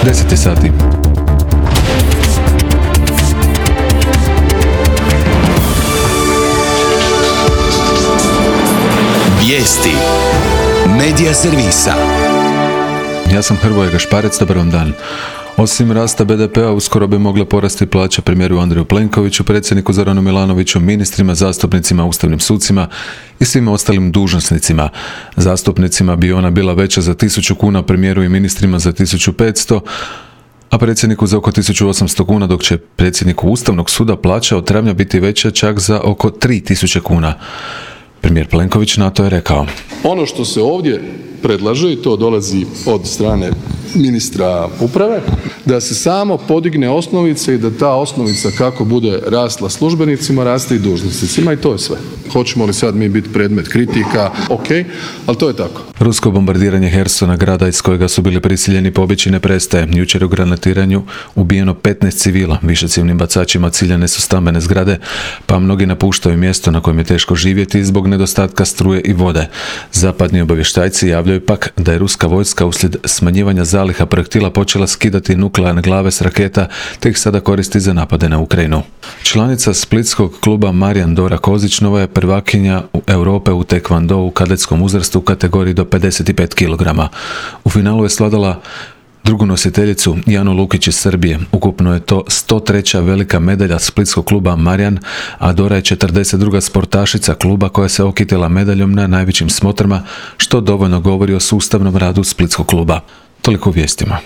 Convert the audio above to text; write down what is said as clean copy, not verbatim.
10 sati. Vijesti Medija servisa. Ja sam Hrvoje Gašparec, dobar vam dan. Osim rasta BDP-a, uskoro bi mogle porasti plaće premijeru Andreju Plenkoviću, predsjedniku Zoranu Milanoviću, ministrima, zastupnicima, ustavnim sucima i svim ostalim dužnosnicima. Zastupnicima bi ona bila veća za 1000 kuna, premijeru i ministrima za 1500, a predsjedniku za oko 1800 kuna, dok će predsjedniku Ustavnog suda plaća od travnja biti veća čak za oko 3000 kuna. Premijer Plenković na to je rekao: ono što se ovdje predlaže, i to dolazi od strane ministra uprave, da se samo podigne osnovica i da ta osnovica kako bude rasla službenicima, raste i dužnosnicima, i to je sve. Hoćemo li sad mi biti predmet kritika? Ok, ali to je tako. Rusko bombardiranje Hersona, grada iz kojega su bili prisiljeni pobjeći, ne prestaje. Jučer u granatiranju ubijeno 15 civila, višecjevnim bacačima ciljane su stambene zgrade, pa mnogi napuštaju mjesto na kojem je teško živjeti zbog nedostatka struje i vode. Zapadni obavještajci javljaju pak da je ruska vojska uslijed smanjivanja zaliha projektila počela skidati nuklearne glave s raketa, te ih sada koristi za napade na Ukrajinu. Članica splitskog kluba Marijan Dora Kozić nova je prvakinja Europe u tekvando u kadetskom uzrastu u kategoriji do 55 kg. U finalu je svladala drugu nositeljicu Janu Lukić iz Srbije. Ukupno je to 103. velika medalja splitskog kluba Marijan, a Dora je 42. sportašica kluba koja se okitila medaljom na najvećim smotrama, što dovoljno govori o sustavnom radu splitskog kluba. Toliko u vijestima.